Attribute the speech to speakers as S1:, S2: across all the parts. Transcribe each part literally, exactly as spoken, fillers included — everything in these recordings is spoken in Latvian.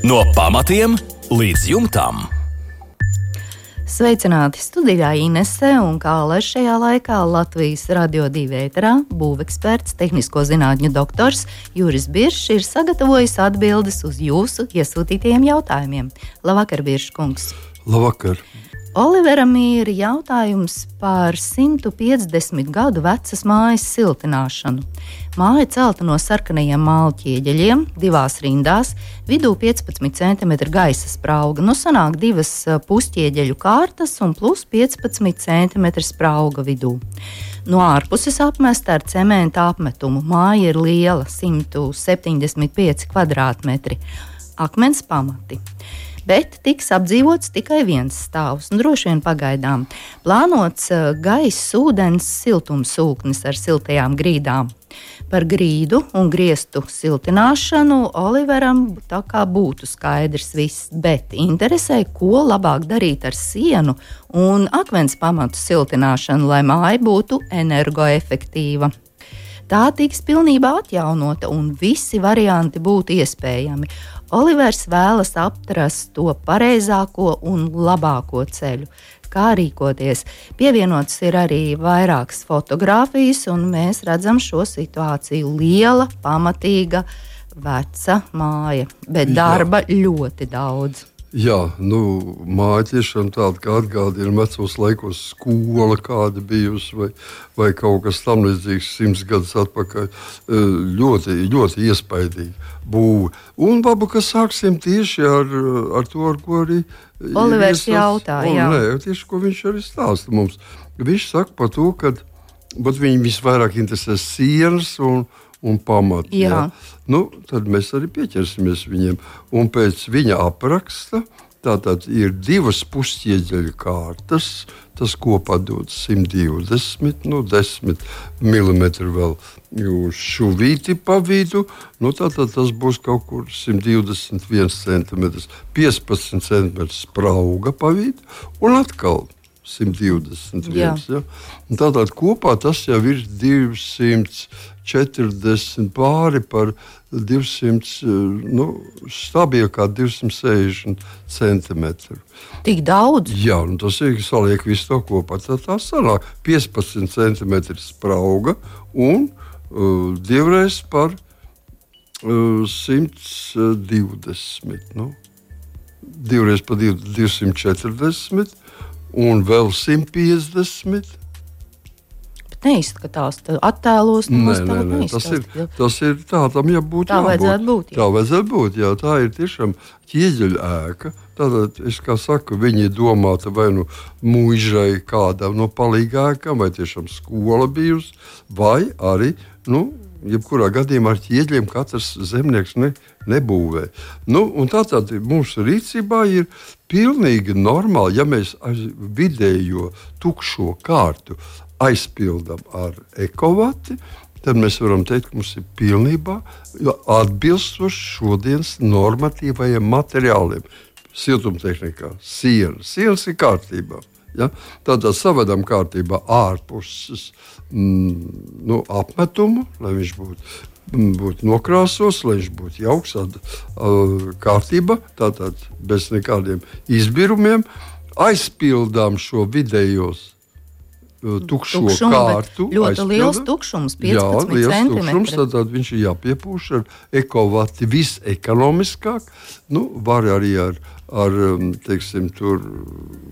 S1: No pamatiem līdz jumtam.
S2: Sveicināti studijā Inese un Kālers šajā laikā Latvijas Radio divi ēterā būveksperts, tehnisko zinātņu doktors Juris Biršs ir sagatavojis atbildes uz jūsu iesūtītajiem jautājumiem. Labvakar, Biršs kungs!
S3: Labvakar!
S2: Oliveram ir jautājums par simtu piecdesmit gadu vecas mājas siltināšanu. Māja celta no sarkanajiem māla ķieģeļiem, divās rindās, vidū piecpadsmit centimetri gaisa sprauga. Nu sanāk divas pusķieģeļu kārtas un plus piecpadsmit centimetri sprauga vidū. No ārpuses apmesta ar cementa apmetumu. Māja ir liela, simt septiņdesmit pieci kvadrātmetri. Akmens pamati. Bet tiks apdzīvots tikai viens stāvs, un droši vien pagaidām. Plānots gaiss, ūdens, siltumsūknis ar siltajām grīdām. Par grīdu un griestu siltināšanu Oliveram tā kā būtu skaidrs viss, bet interesē, ko labāk darīt ar sienu un akmens pamatu siltināšanu, lai māja būtu energoefektīva. Tā tiks pilnībā atjaunota un visi varianti būtu iespējami. Olivers vēlas atrast to pareizāko un labāko ceļu, kā rīkoties. Pievienotas ir arī vairākas fotogrāfijas, un mēs redzam šo situāciju. Liela, pamatīga, veca māja, bet darba Jā. ļoti daudz.
S3: Jā, nu, māja tiešām tāda, kā atgādina vecos laikos skola kāda bijusi, vai, vai kaut kas tam līdzīgs simts gadus atpakaļ. Ļoti, ļoti iespaidīgi būve. Un varbūt, ka sāksim tieši ar, ar to, ar ko arī
S2: Olivers jautā, jā.
S3: Nē, tieši, ko viņš arī stāsta mums. Viņš saka par to, ka viņi visvairāk interesē sienas un un pamati. Jā. Jā. Nu, tad mēs arī pieķersimies viņiem. Un pēc viņa apraksta tātad ir divas pusķieģeļu kārtas, tas kopā dod simt divdesmit, nu, desmit milimetri vēl uz šuvīti pa vidu, nu, tātad tas būs kaut kur simt divdesmit viens centimetrs, piecpadsmit centimetrs sprauga pa vidu, un atkal simt divdesmit viens. Ja? Tātad kopā tas jau ir divsimt četrdesmit pāri par divsimt, nu, stabili kā divsimt sešdesmit centimetru.
S2: Tik daudz?
S3: Jā, un tas ir saliek visu to kopā. Tā, tā sanāk piecpadsmit centimetri sprauga un uh, divreiz par uh, simt divdesmit. Nu, divreiz par divsimt četrdesmit. Un vēl simt piecdesmit.
S2: Bet neizskatās, attēlos
S3: nē, nē, nē. Tas ir, tas ir tā, tam jābūt.
S2: Tā vajadzētu būt. Jā.
S3: Tā vajadzētu būt, jā. Tā ir tiešām ķieģeļa ēka. Tātad, es kā saku, viņi ir domāta vai nu mūžai kādam no palīgākam, vai tiešām skola bijusi, vai arī, nu, jebkurā gadījumā ar ķieģeļiem katrs zemnieks ne, nebūvē. Nu, un tātad mūsu rīcībā ir pilnīgi normāli, ja mēs vidējo tukšo kārtu aizpildam ar ekovati, tad mēs varam teikt, ka mums ir pilnībā atbilstoši šodienas normatīvajiem materiāliem. Siltumtehnikā sienas. Sienas ir kārtībā. Ja? Tādā savedam kārtībā ārpuses mm, nu, apmetumu, lai viņš būtu, būtu nokrāsos, lai viņš būtu jauks, tāda uh, kārtība, tātad bez nekādiem izbirumiem. Aizpildām šo vidējos uh, tukšo
S2: Tukšumu,
S3: kārtu.
S2: Ļoti
S3: aizpildam.
S2: Liels tukšums, piecpadsmit
S3: Jā, liels
S2: centimetri.
S3: tukšums, tad viņš ir jāpiepūš ar ekovati visekonomiskāk. Nu, var arī ar ar, teiksim, tur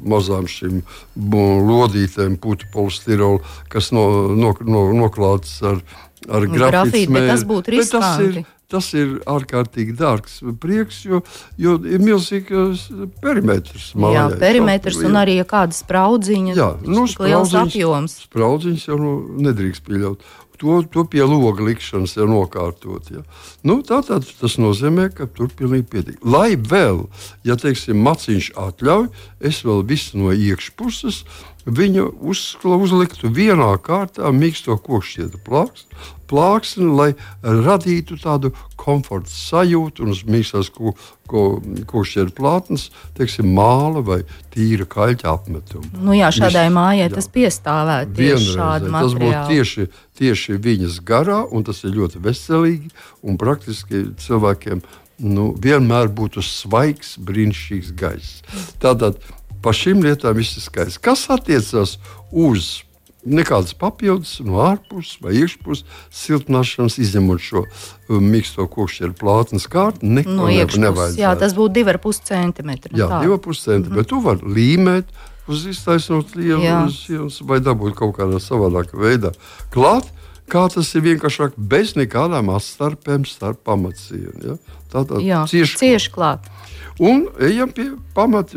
S3: mazām šīm lodītēm, putu polistirolu, kas no, no, no, noklāts ar, ar grafītu smēri.
S2: Tas būtu riskanti.
S3: Tas ir ārkārtīgi dārgs prieks, jo, jo ir milzīgs perimetrs. Mājā,
S2: jā, perimetrs un arī ja kāda spraudziņa,
S3: jā, nu,
S2: liels apjoms.
S3: Spraudziņas jau nu, nedrīkst pieļaut. To, to pie loga likšanas jau nokārtot. Ja. Nu, tātad tas nozīmē, ka tur pilnīgi pietiek. Lai vēl, ja teiksim, maciņš atļauj, es vēl visu no iekšpuses viņu uzskla, uzliktu vienā kārtā mīksto kokšķiedra plāksni, plāksni, lai radītu tādu komforta sajūtu un uz mīkstās ko, ko, kokšķiedra plātnes, teiksim, māla vai tīra kaļķa apmetumu.
S2: Nu jā, šādai
S3: Viņš,
S2: mājai
S3: jā.
S2: tas piestāvētu tieši šādu materiālu.
S3: Tas būtu tieši, tieši viņas garā, un tas ir ļoti veselīgi, un praktiski cilvēkiem nu, vienmēr būtu svaigs, brīnišķīgs gaiss. Tātad par šīm lietām viss ir skaists. Kas attiecas uz nekādas papildus no ārpuses vai iekšpuses siltināšanas, izņemot šo um, mīksto kokšķeru plātnes kārtu, neko
S2: no
S3: ne, nevajadzētu.
S2: Jā, tas būtu divi ar pus centimetri.
S3: Jā, divi ar pus centimetri, bet tu vari līmēt uz iztaisnot lielas vai dabūt kaut kādā savādākā veidā klāt, kā tas ir vienkāršāk bez nekādām atstarpēm starp pamatsienu. Ja? Tātad
S2: jā,
S3: cieši,
S2: cieši klāt.
S3: Un ejam pie pamat,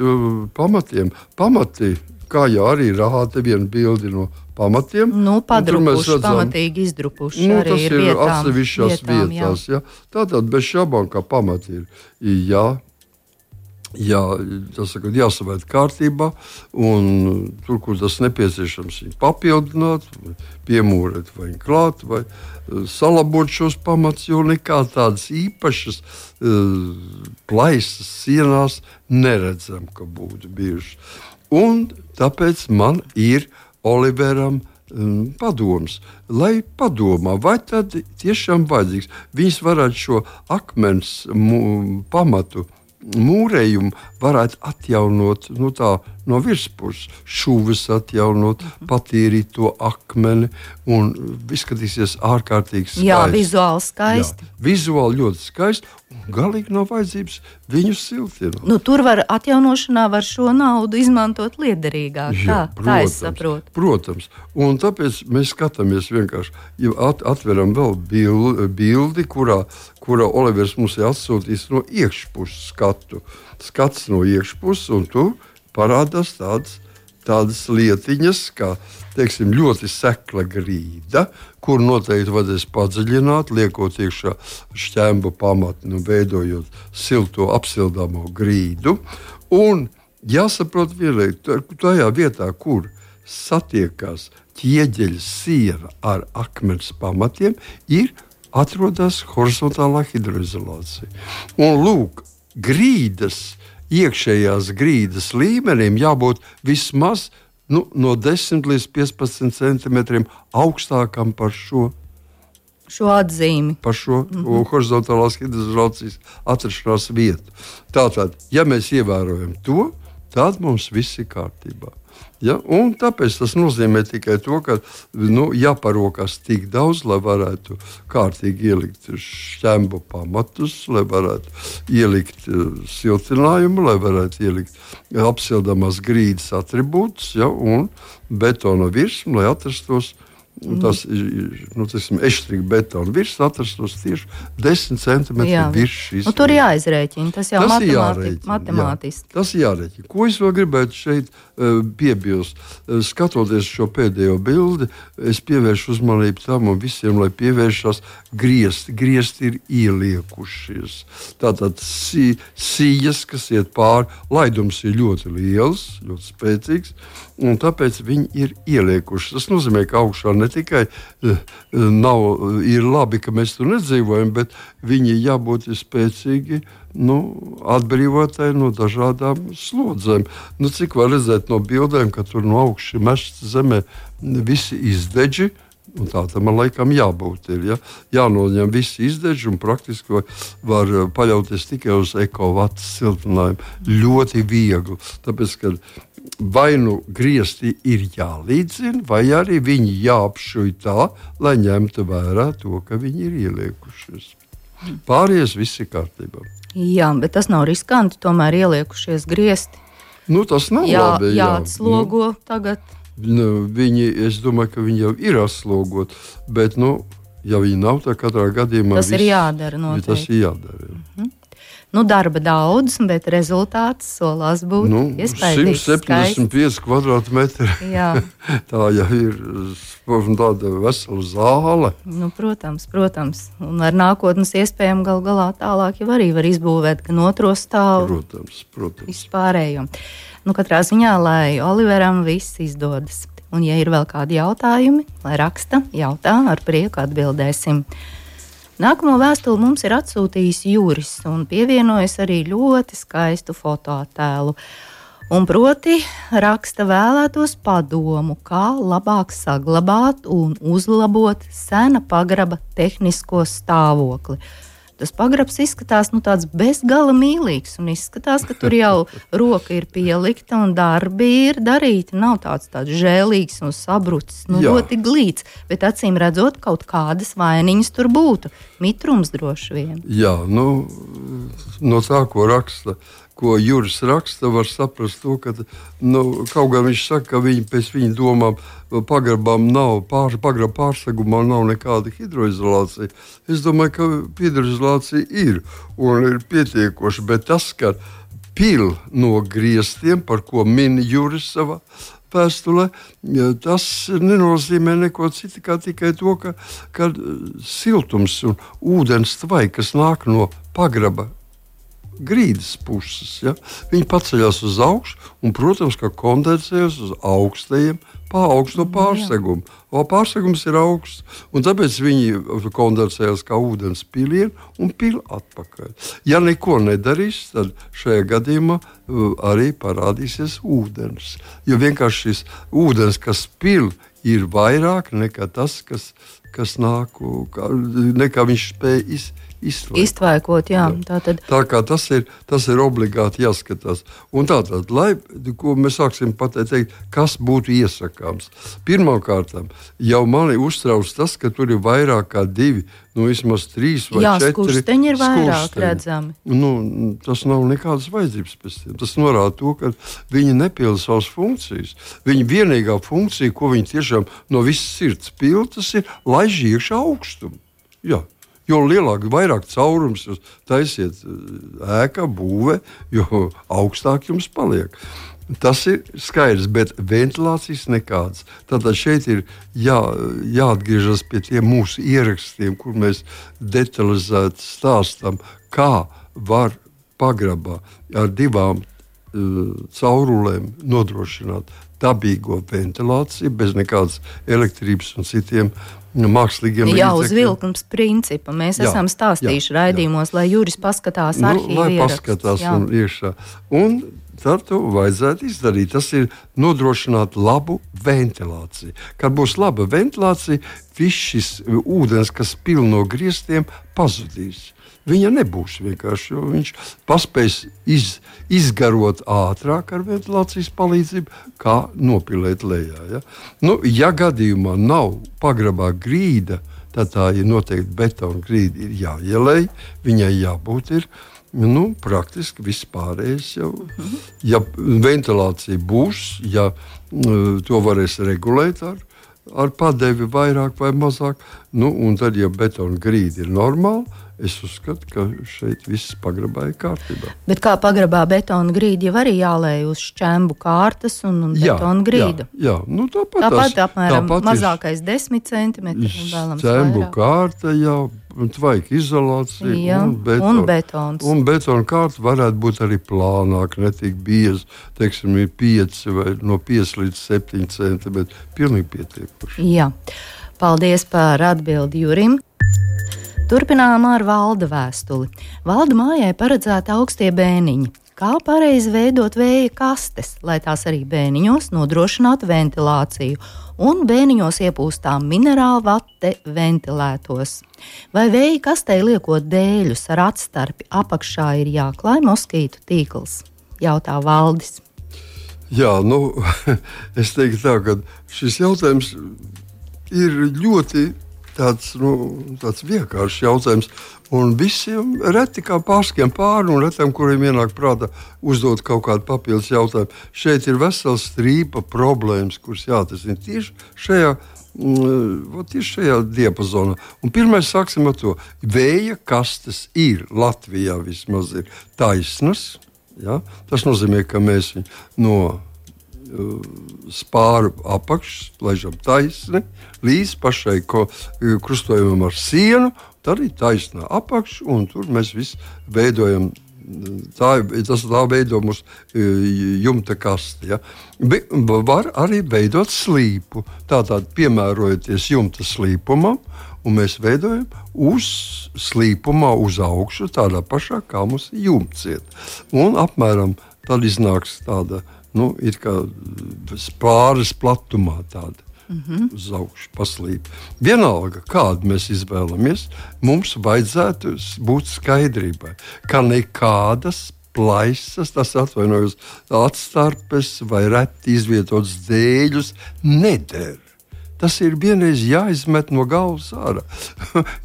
S3: pamatiem. Pamati, kā jau arī rāda viena bildi no pamatiem.
S2: Nu, padrupuši,
S3: redzam,
S2: pamatīgi izdrupuši.
S3: Nu,
S2: arī
S3: tas ir, ir
S2: vietām,
S3: atsevišķās
S2: vietām,
S3: vietās. Jā. Ja? Tātad bez šabām, kā pamati ir jā, jā, saka, jāsavērt kārtībā, un tur, kur tas nepieciešams, viņu papildināt, piemūrēt vai klāt, vai salabot šos pamatus, jo nekā tādas īpašas uh, plaisas sienās neredzam, ka būtu bijušas. Un tāpēc man ir Oliveram um, padoms, lai padomā, vai tad tiešām vajadzīgs. Viņas varētu šo akmens mū, pamatu mūrējumu varētu atjaunot nu tā, no virspuses, šuvis atjaunot, patīrīt to akmeni un izskatīsies ārkārtīgi skaisti.
S2: Jā, vizuāli skaisti.
S3: Jā, vizuāli ļoti skaisti un galīgi nav vajadzības viņu siltināt.
S2: Nu, tur var atjaunošanā var šo naudu izmantot liederīgāk. Jā, tā, protams, tā es saprotu.
S3: Protams, un tāpēc mēs skatāmies vienkārši, ja at, atveram vēl bildi, bildi kurā, kurā Olivers mums ir atsūtījis no iekšpuses skatu. Skats no iekšpuses, un tu parādās tādas, tādas lietiņas, kā teiksim, ļoti sekla grīda, kur noteikti vajadzēs padziļināt, liekot iekšā šķembu pamatni un veidojot silto apsildāmo grīdu. Un jāsaprot vienlaik, tajā vietā, kur satiekās ķieģeļa siena ar akmens pamatiem, ir atrodas horizontālā hidroizolācija. Un lūk, grīdas, iekšējās grīdas līmenim jābūt vismaz nu, no desmit līdz piecpadsmit centimetriem augstākam par šo,
S2: šo atzīmi.
S3: Par šo mm-hmm. horizontālās hidroizolācijas atrašanās vietu. Tātad, ja mēs ievērojam to, tad mums viss ir kārtībā. Ja? Un tāpēc tas nozīmē tikai to, ka nu, jāparokās tik daudz, lai varētu kārtīgi ielikt šķembu pamatus, lai varētu ielikt uh, siltinājumu, lai varētu ielikt apsildāmās grīdas atribūtus, ja? Un betona virsmu, lai atrastos tas nu, eštrika betona virs atrastos tieši desmit centimetri virs šīs.
S2: Nu, tur jāizrēķina, tas jau tas matemāti, matemātiski.
S3: Jā, tas jārēķina. Ko es vēl gribētu šeit uh, piebilst? Uh, skatoties šo pēdējo bildi, es pievēršu uzmanību tam un visiem, lai pievēršās griezti. Griezti ir ieliekušies. Tātad si, sijas, kas iet pāri, laidums ir ļoti liels, ļoti spēcīgs, un tāpēc viņi ir ieliekuši. Tas nozīmē, ka augšā ne tikai uh, nav, ir labi, ka mēs tur nedzīvojam, bet viņi jābūt spēcīgi nu, atbrīvotāji no dažādām slodzēm. Nu, cik var redzēt no bildēm, ka tur no augšas mežs zemē visi izdeģi, un tā tam man laikam jābūt. Ir, ja? Jānoņem visi izdeģi un praktiski var, var paļauties tikai uz ekovats siltinājumu. Ļoti viegli, tāpēc, ka vai nu griezti ir jālīdzina, vai arī viņi jāapšuj tā, lai ņemtu vērā to, ka viņi ir ieliekušies. Pārējais viss ir kārtībā.
S2: Jā, bet tas nav riskanti, tomēr ieliekušies griezti.
S3: Nu, tas nav
S2: jā,
S3: labi. Jā,
S2: jāatslogo nu, tagad.
S3: Nu, viņi, es domāju, ka viņi jau ir atslogot, bet, nu, ja viņi nav, tad katrā gadījumā
S2: tas viss, ir jādara noteikti.
S3: Tas ir jādara.
S2: Mhm. Nu, darba daudz, bet rezultāts solās būt
S3: nu,
S2: iespaidīgs.
S3: simt septiņdesmit pieci kvadrātmetri. Tā jau ir tāda vesela zāle.
S2: Nu, protams, protams. Un ar nākotnes iespējām gal galā tālāk jau arī var izbūvēt gan otro stāvu.
S3: Protams, protams.
S2: Vispārējo. Nu, katrā ziņā, lai Oliveram viss izdodas. Un, ja ir vēl kādi jautājumi, lai raksta, jautā, ar prieku atbildēsim. Nākamo vēstuli mums ir atsūtījis Juris un pievienojas arī ļoti skaistu fotoattēlu. Un proti raksta vēlētos padomu, kā labāk saglabāt un uzlabot sena pagraba tehnisko stāvokli. Tas pagrabs izskatās nu, tāds bezgala mīlīgs un izskatās, ka tur jau roka ir pielikta un darbi ir darīti. Nav tāds, tāds žēlīgs un sabrucis, nu, ļoti glīts, bet acīm redzot, kaut kādas vainiņas tur būtu. Mitrums droši vien.
S3: Jā, nu, no tā, ko raksta, ko Juris raksta, var saprast to, ka nu, kaut gan viņš saka, ka viņi pēc viņa domām pagrabām nav, pār, pagraba pārsegumā nav nekāda hidroizolācija. Es domāju, ka hidroizolācija ir un ir pietiekoša, bet tas, ka pil no griestiem, par ko min Juris savā vēstulē, tas nenozīmē neko citu, kā tikai to, ka, ka siltums un ūdens tvai, kas nāk no pagraba grīdas puses, ja? Viņi paceļās uz augšu un, protams, ka kondensējas uz augstajiem augsto pārsegumu. O pārsegums ir augsts, un tāpēc viņi kondensējas kā ūdens pilieni un pil atpakaļ. Ja neko nedarīs, tad šajā gadījumā arī parādīsies ūdens. Jo vienkārši šis ūdens, kas pil, ir vairāk nekā tas, kas, kas nāk, nekā viņš spēj izdarīt.
S2: Iztvaikot, jā. jā. Tātad...
S3: Tā kā tas ir, tas ir obligāti jāskatās. Un tātad, lai, ko mēs sāksim pateikt, kas būtu iesakāms. Pirmkārt, jau mani uztrauc tas, ka tur ir vairāk kā divi, nu vismaz trīs vai
S2: jā,
S3: četri.
S2: Jā, skursteņi ir vairāk redzami.
S3: Nu, tas nav nekādas vajadzības pēc tiem. Tas norāda to, ka viņi nepilda savas funkcijas. Viņa vienīgā funkcija, ko viņi tiešām no visas sirds pilda, tas ir laiž iekšā augstumu. Jā. Jo lielāk, vairāk caurums jūs taisiet ēkā, būvē, jo augstāk jums paliek. Tas ir skaidrs, bet ventilācijas nekādas. Tātad šeit ir jā, jāatgriežas pie tiem mūsu ierakstiem, kur mēs detalizēti stāstam, kā var pagrabā ar divām uh, caurulēm nodrošināt dabīgo ventilāciju bez nekādas elektrības un citiem mākslīgiem līdzekļiem.
S2: Jā, uz vilkums principa. Mēs jā, esam stāstījuši jā, raidījumos, jā. Lai Juris paskatās nu, arhīvu
S3: lai
S2: ierakstus.
S3: Paskatās jā. Un iekšā. Un tad to vajadzētu izdarīt. Tas ir nodrošināt labu ventilāciju. Kad būs laba ventilācija, viss šis ūdens, kas pil no griestiem, pazudīs. Viņa nebūs vienkārši, jo viņš paspēs iz, izgarot ātrāk ar ventilācijas palīdzību, kā nopilēt lejā. Ja, nu, ja gadījumā nav pagrabā grīda, tad tā ir noteikti betona grīda, ir jāielej, viņai jābūt ir nu, praktiski vispārējais jau. Ja ventilācija būs, ja to varēs regulēt ar, ar padevi vairāk vai mazāk, nu, un tad, ja betona grīda ir normāla, es uzskatu, ka šeit viss pagrabā ir kārtībā.
S2: Bet kā pagrabā betona grīda jau arī jālēj uz šķembu kārtas un, un
S3: jā,
S2: betona grīdu?
S3: Jā, jā. Nu, tāpat,
S2: tāpat
S3: tās,
S2: apmēram
S3: tāpat
S2: mazākais desmit centimetri un vēlams
S3: šķembu
S2: vairāk.
S3: Kārta, jā, tvaika izolācija
S2: jā,
S3: un, beton,
S2: un betons.
S3: Un betona kārta varētu būt arī plānāk, ne tik bieza, teiksim, ir pieci vai no pieci līdz septiņi centimetri. Pilnīgi pietiekoši.
S2: Jā, paldies par atbildi Jurim. Turpinām ar Valda vēstuli. Valda mājai paredzēta augstie bēniņi. Kā pareizi veidot vēja kastes, lai tās arī bēniņos nodrošinātu ventilāciju un bēniņos iepūstām minerālu vate ventilētos? Vai vēja kastei liekot dēļus ar atstarpi apakšā ir jāklāj moskītu tīkls? Jautā Valdis.
S3: Jā, nu, es teiktu tā, ka šis jautājums ir ļoti Tāds, nu, tāds vienkāršs jautājums, un visiem reti kā pārskiem pāri, un retam, kuriem ienāk prātā uzdot kaut kādu papildus jautājumu. Šeit ir vesels strīpa problēmas, kuras jāatrisina tieši šajā, tieši šajā diapazonā. Un pirmais sāksim ar to. Vēja kastes ir Latvijā vismaz ir taisnas. Ja? Tas nozīmē, ka mēs viņu no spāru apakšas, laižam taisni, līdz pašai ko, krustojumam ar sienu, tad ir taisnā apakša, un tur mēs visi veidojam, tā, tas tā veido mūsu jumta kasti. Ja. Be, var arī veidot slīpu, tātad piemērojoties jumta slīpumam, un mēs veidojam uz slīpumā uz augšu, tādā pašā kā mums jumts iet. Un apmēram tad iznāks tāda, nu, ir kā pāris platumā tāda
S2: Mm-hmm.
S3: Uz augšu paslīp. Vienalga, kādu mēs izvēlamies, mums vajadzētu būt skaidrībai, ka nekādas plaisas, tas atvainojos, atstarpes vai reti izvietotas dēļus neder. Tas ir vienreiz jāizmet no galvas ārā.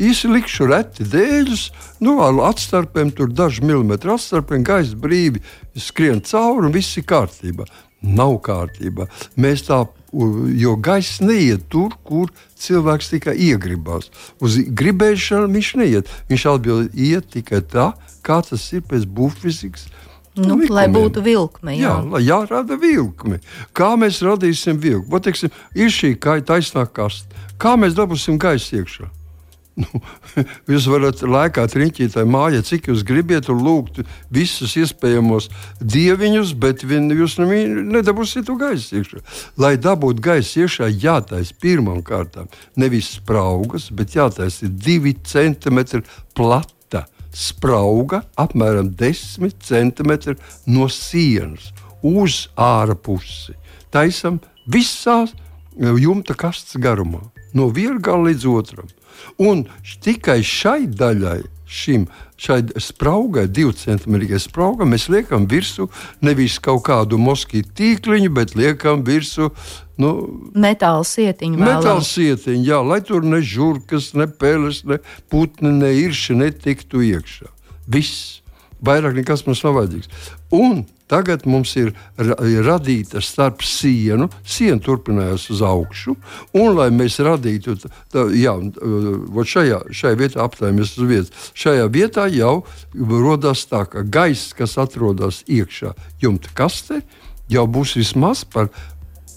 S3: Īsi likšu reti dēļus, nu, ar atstarpēm, tur daži milimetri atstarpēm, gaisa brīvi skrien cauri un viss ir kārtībā. Nav kārtībā. Mēs tā, jo gaiss neiet tur, kur cilvēks tikai iegribās. Uz gribēšanu viņš neiet. Viņš atbild iet tikai tā, kā tas ir pēc būvfizikas.
S2: Nu, lai būtu vilkme. Jā,
S3: jā lai jārada vilkme. Kā mēs radīsim vilkmi? Vat, teiksim, ir šī taisnā kaste. Kā mēs dabūsim gaisu iekšā? Nu, jūs varat lēkāt riņķītāji mājā, cik jūs gribiet un lūgt visus iespējamos dieviņus, bet vien, jūs nedabūsiet to gaisu iekšā. Lai dabūtu gaisu iekšā, jātais pirmām kārtām nevis spraugas, bet jātais ir divi centimetri plata sprauga, apmēram desmit centimetri no sienas uz āra pusi. Taisam visās jumta kastes garumā, no viena gala līdz otram. Un tikai šai daļai, šim, šai spraugai, divu centimetru spraugam, mēs liekam virsū nevis kaut kādu moskītu tīkliņu, bet liekam virsū nu,
S2: metāla sietiņu.
S3: Metāla sietiņu, jā, lai tur ne žurkas, ne peles, ne putni, ne irši netiktu iekšā. Viss. Vairāk nekas mums nav vajadzīgs. Un tagad mums ir radīta starp sienu, siena turpinājās uz augšu, un lai mēs radītu, tā, jā, šajā, šajā vietā apstājamies uz vietas, šajā vietā jau rodās tā, ka gaiss, kas atrodas iekšā jumta kastē, jau būs vismaz par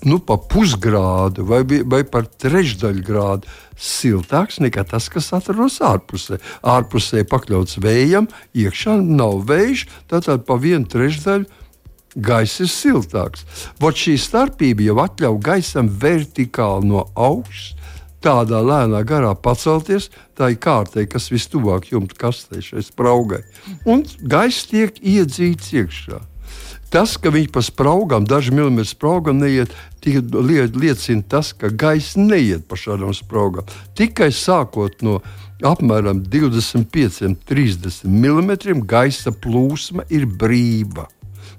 S3: nu, pa pusgrādu vai, vai par trešdaļu grādu siltāks nekā tas, kas atrodas ārpusē. Ārpusē pakļauts vējam, iekšā nav vējš, tātad pa vienu trešdaļu gaiss ir siltāks. Vot šī starpība jau atļauj gaisam vertikāli no augšas, tādā lēnā garā pacelties, tā ir kārtē, kas vistuvāk jumta kastē šai spraugai. Un gaiss tiek iedzīts iekšā. Tas, ka viņi pa spraugām, daži milimetri spraugām neiet, liecina tas, ka gaiss neiet pa šādām spraugām. Tikai sākot no apmēram divdesmit pieci līdz trīsdesmit milimetriem gaisa plūsma ir brīva.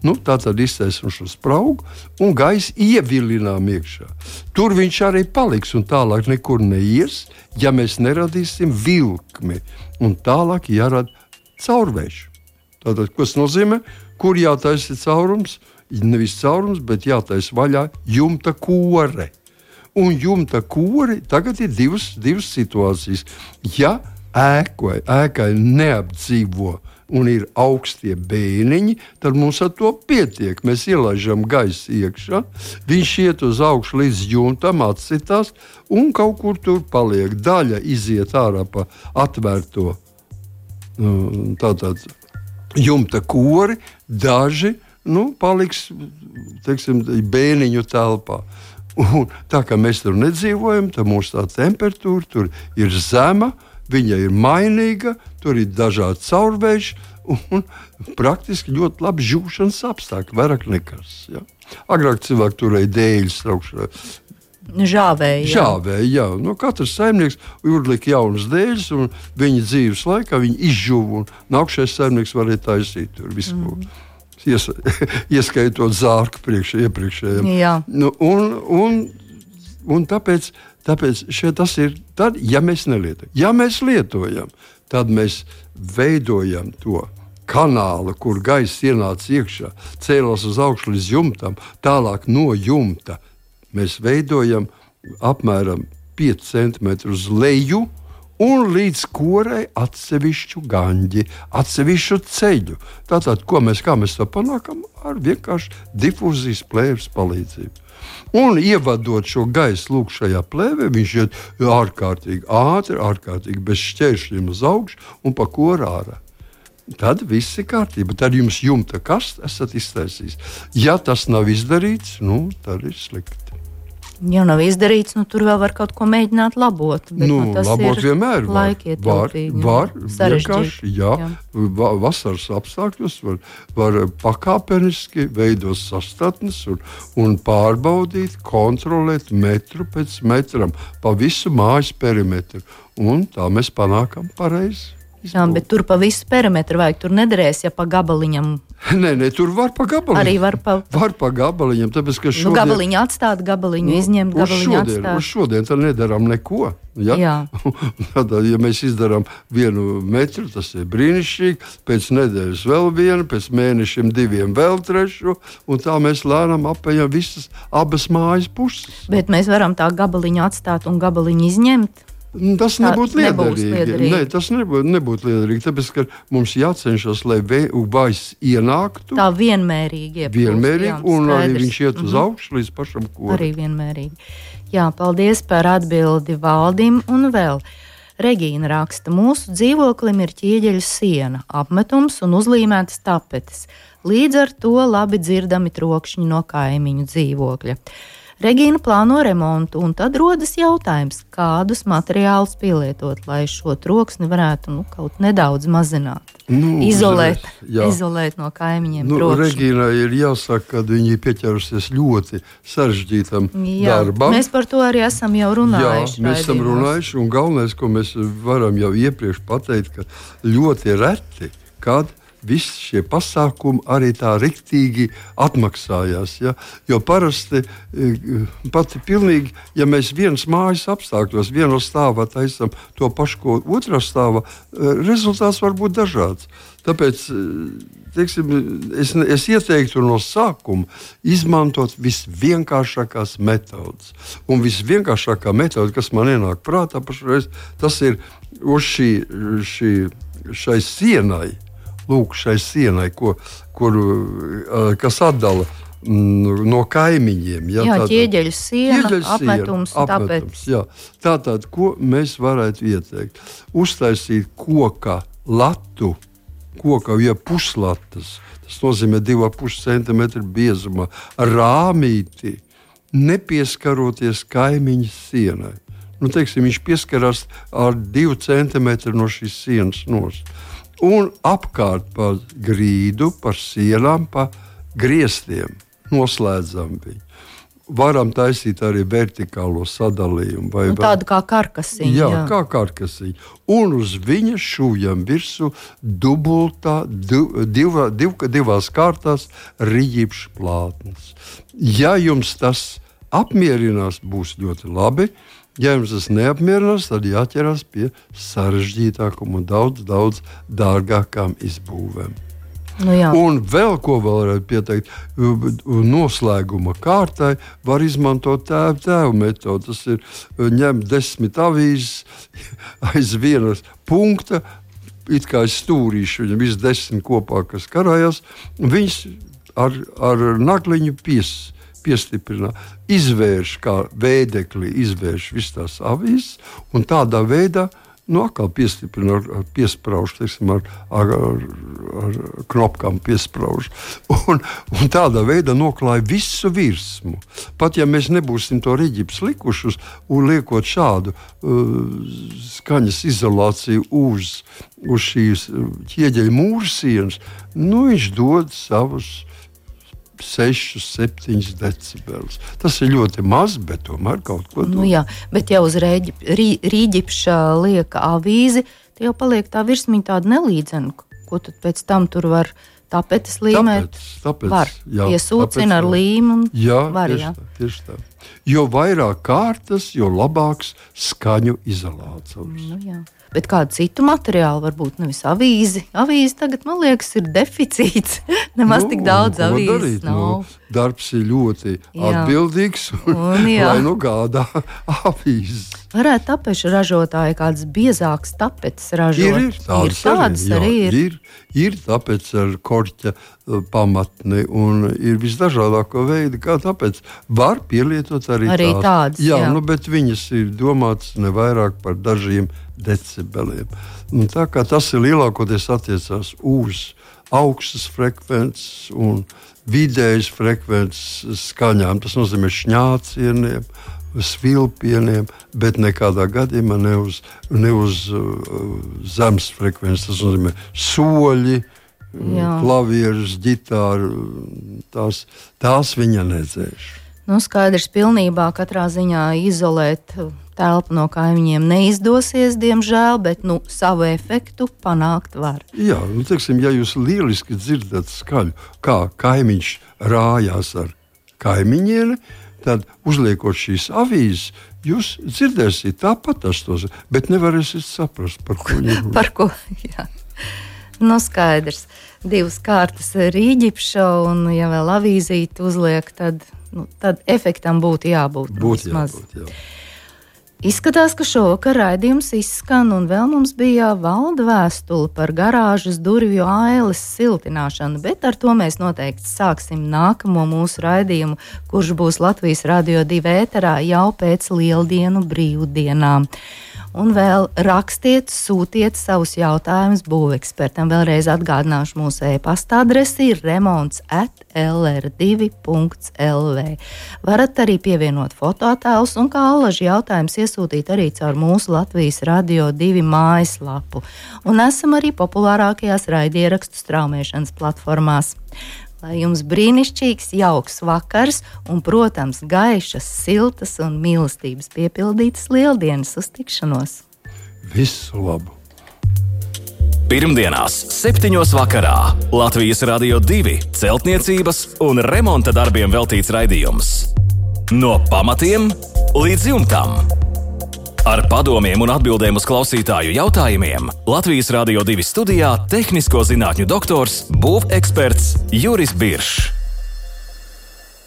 S3: Nu, tā tad iztaisam šo spraugu un gaisu ievilinām iekšā. Tur viņš arī paliks un tālāk nekur neies, ja mēs neradīsim vilkmi. Un tālāk jārada caurvējš. Tātad, ko tas nozīmē? Kur jātaisa caurums? Nevis caurums, bet jātaisa vaļā jumta kore. Un jumta kori tagad ir divas, divas situācijas. Ja ēkai, ēkai neapdzīvo un ir augstie bēniņi, tad mums ar to pietiek. Mēs ielaižam gaisu iekšā, viņš iet uz augšu līdz jumtam, atsitās un kaut kur tur paliek. Daļa iziet ārā pa atvērto tātad jumta kori, daži nu, paliks teiksim, bēniņu telpā. Un tā kā mēs tur nedzīvojam, tad mums tā temperatūra tur ir zema, viņa ir mainīga, tur ir dažādi caurvējš un praktiski ļoti labi žūšanas apstākļi, vairāk nekas. Ja? Agrāk cilvēki turēja dēļus traukšanā.
S2: Žāvēja.
S3: Žāvēja, jā. Nu, katrs saimnieks uzlika jaunas dēļas, un viņa dzīves laikā viņi izžuva, un nākšais saimnieks varēja taisīt tur visu. Mm. Ies, ieskaitot zārku priekš, iepriekšējiem.
S2: Jā.
S3: Nu, un, un, un tāpēc, tāpēc šeit tas ir tad, ja mēs nelietojam. Ja mēs lietojam, tad mēs veidojam to kanālu, kur gaiss ienāca iekšā, cēlās uz augšu līdz jumtam, tālāk no jumta. Mēs veidojam apmēram pieci centimetri uz leju un līdz korai atsevišķu gaņģi, atsevišķu ceļu. Tātad, ko mēs, kā mēs to panākam? Ar vienkārši difūzijas plēves palīdzību. Un ievadot šo gaisu lūk šajā plēvē, viņš iet ārkārtīgi ātri, ārkārtīgi bez šķēršļiem uz augšu un pa koru ārā. Tad viss ir kārtība. Tad jums jumta kaste esat iztaisījis. Ja tas nav izdarīts, nu, tad ir slikti.
S2: Ja nav izdarīts, nu, tur vēl var kaut ko mēģināt labot. Bet,
S3: Nu,
S2: nu, tas
S3: labot
S2: ir
S3: vienmēr var. Var, var vienkārši, jā, jā. Va, vasaras apstākļos var, var pakāpeniski veidot sastatnes un, un pārbaudīt, kontrolēt metru pēc metram pa visu mājas perimetru. Un tā mēs panākam pareizi.
S2: Jā, bet tur pa visu perimetru vajag. Tur nederēs, ja pa gabaliņam.
S3: Nē, nē, tur var pa gabaliņam.
S2: Arī var pa,
S3: var pa gabaliņam. Tāpēc, ka šodien,
S2: nu, gabaliņu atstāt, gabaliņu
S3: nu,
S2: izņemt, gabaliņu
S3: šodien,
S2: atstāt.
S3: Uz šodien tad nedarām neko. Ja?
S2: Jā.
S3: Tad, ja mēs izdarām vienu metru, tas ir brīnišķīgi. Pēc nedēļas vēl vienu, pēc mēnešiem diviem vēl trešu. Un tā mēs lēnām apējam visas abas mājas puses.
S2: Bet mēs varam tā gabaliņu atstāt un gabaliņu izņemt.
S3: Tas nebūtu liederīgi.
S2: liederīgi.
S3: Nē, tas nebūtu, nebūtu liederīgi. Tāpēc, ka mums jācenšas, lai vējs ienāktu.
S2: Tā vienmērīgi. Iepūst,
S3: vienmērīgi
S2: jā,
S3: un
S2: skaidrs.
S3: arī viņš iet uz
S2: Mhm.
S3: augšu līdz pašam koram.
S2: Arī vienmērīgi. Jā, paldies par atbildi Valdim un vēl. Regīna raksta, mūsu dzīvoklim ir ķieģeļu siena, apmetums un uzlīmētas tapetes. Līdz ar to labi dzirdami trokšņi no kaimiņu dzīvokļa. Regīna plāno remontu, un tad rodas jautājums, kādus materiālus pielietot, lai šo troksni varētu nu, kaut nedaudz mazināt.
S3: Nu,
S2: izolēt,
S3: uzreiz,
S2: izolēt no kaimiņiem
S3: nu,
S2: trokšņu.
S3: Regīnai ir jāsaka, ka viņi pieķerusies ļoti sarežģītam
S2: Jā,
S3: darbam.
S2: mēs par to arī esam jau runājuši.
S3: Jā, mēs esam runājuši, un galvenais, ko mēs varam jau iepriekš pateikt, ka ļoti reti, kad visi šie pasākumi arī tā riktīgi atmaksājās. Ja? Jo parasti pati pilnīgi, ja mēs vienas mājas apstākļos, vienā stāvā taisam to pašu, ko otrā stāvā, rezultāts var būt dažāds. Tāpēc teiksim, es, es ieteiktu no sākuma izmantot visvienkāršākās metodas. Un visvienkāršākā metode, kas man ienāk prātā pašreiz, tas ir uz šī, šī, šai sienai, lūk, šai sienai, ko, kur, kas atdala mm, no kaimiņiem. Ja,
S2: jā,
S3: tātad,
S2: ķieģeļu siena,
S3: ķieģeļu
S2: apmetums,
S3: siena, apmetums jā. Tātad, ko mēs varētu ieteikt? Uztaisīt koka latu, koka ja puslatas, tas nozīmē divi ar pus centimetru biezumā, rāmīti, nepieskaroties kaimiņa sienai. Nu, teiksim, viņš pieskarās ar divu centimetru no šīs sienas nost. Un apkārt pa grīdu, par sienām, pa griestiem noslēdzam viņu. Varam taisīt arī vertikālo sadalījumu. Vai,
S2: nu, tādu kā karkasiņu.
S3: Jā,
S2: jā.
S3: kā karkasiņu. Un uz viņa šūjam virsū dubultā, div, div, div, divās kārtās riģipšu plātnes. Ja jums tas apmierinās, būs ļoti labi. Ja jums tas neapmierinās, tad jāķerās pie sarežģītākām un daudz, daudz dārgākām izbūvēm.
S2: Nu, jā.
S3: Un vēl ko vēl varētu pieteikt, noslēguma kārtai var izmantot tēvu tēvu metodu. Tas ir ņemt desmit avīzes aiz vienas punkta, it kā aiz stūrīšu, viņam viss desmit kopā, kas karājās, viņas ar, ar nagliņu pies. Piestiprinā, izvērš kā vēdekli, izvērš visas tās avīzes un tādā veidā, nu, atkal piestiprina ar, ar piespraužu, teiksim, ar, ar, ar, ar knopkām piespraužu. Un, un tādā veidā noklāja visu virsmu. Pat ja mēs nebūsim to riģips likušus un liekot šādu uh, skaņas izolāciju uz, uz šīs ķieģeļu mūrsienas, nu, viņš dod savus seši, septiņi decibelus. Tas ir ļoti maz, bet tomēr kaut ko dod.
S2: Nu, jā, bet ja uz rīģipša lieka avīzi, tad jau paliek tā virsmiņa tāda nelīdzena. Ko tad pēc tam tur var tapetes līmēt?
S3: Tāpēc, tāpēc,
S2: var.
S3: Jā,
S2: Iesūcina
S3: tāpēc,
S2: ar līmu un
S3: jā,
S2: var,
S3: tieši
S2: jā.
S3: Tā, tieši tā. Jo vairāk kārtas, jo labāks skaņu izolācijas.
S2: Nu, jā. Bet kādu citu materiālu, varbūt nevis avīzi. Avīzi tagad, man liekas, ir deficīts. Nemaz
S3: Nu,
S2: tik daudz
S3: ko
S2: avīzes
S3: darīt?
S2: nav.
S3: Nu, darbs ir ļoti
S2: Jā.
S3: atbildīgs, un,
S2: Un, jā.
S3: lai nu gādā avīzes.
S2: Varētu tapešu ražotāji kādas biezākas tapetes ražot?
S3: Ir, ir tādas,
S2: ir tādas
S3: arī,
S2: arī
S3: jā,
S2: ir.
S3: ir. Ir tāpēc ar korķa pamatni un ir visdažādāko veidu, kā tāpēc var pielietot arī,
S2: arī
S3: tās.
S2: tādas.
S3: Jā,
S2: jā.
S3: Nu, bet viņas ir domātas ne vairāk par dažiem decibeliem. Un tā kā tas ir lielākoties attiecās uz augstas frekvences un vidējas frekvences skaņām, tas nozīmē šņācieniem, svilpieniem, bet nekādā gadījumā ne uz, ne uz uh, zemes frekvences. Tas nozīmē soļi, Jā. klavierus, ģitāru. Tās, tās viņa nedzēš.
S2: Nu, skaidrs, pilnībā katrā ziņā izolēt telpu no kaimiņiem neizdosies, diemžēl, bet nu, savu efektu panākt var.
S3: Jā, nu, teiksim, ja jūs lieliski dzirdat skaļu, kā kaimiņš rājās ar kaimiņieni, tad uzliekot šīs avīzes, jūs dzirdēsiet tāpat tas tos, bet nevarēsiet saprast, par ko viņi runā.
S2: Par ko, jā. Nu, skaidrs. Divas kārtas rīģipša un, ja vēl avīzīti uzliek, tad, nu, tad efektam būtu jābūt.
S3: Būtu jābūt, jā.
S2: Izskatās, ka šovakar raidījums izskan, un vēl mums bija valda vēstule par garāžas durvju ailes siltināšanu, bet ar to mēs noteikti sāksim nākamo mūsu raidījumu, kurš būs Latvijas Radio divi ēterā jau pēc lieldienu brīvdienām. Un vēl rakstiet, sūtiet savus jautājumus būvekspertam. Vēlreiz atgādināšu mūsu e-pasta adresi ir remonts at l r divi punkts l v. Varat arī pievienot fotoattēlus un kā alaži jautājums iesūtīt arī caur mūsu Latvijas Radio divi mājaslapu. Un esam arī populārākajās raidierakstu straumēšanas platformās. Lai jums brīnišķīgs, jauks vakars un, protams, gaišas, siltas un mīlestības piepildītas lieldienas. Uz tikšanos!
S3: Visu labu!
S1: Pirmdienās, septiņos vakarā Latvijas Radio divi celtniecības un remonta darbiem veltīts raidījums. No pamatiem līdz jumtam. Ar padomiem un atbildēm uz klausītāju jautājumiem Latvijas Radio divi studijā tehnisko zinātņu doktors, būveksperts Juris Biršs.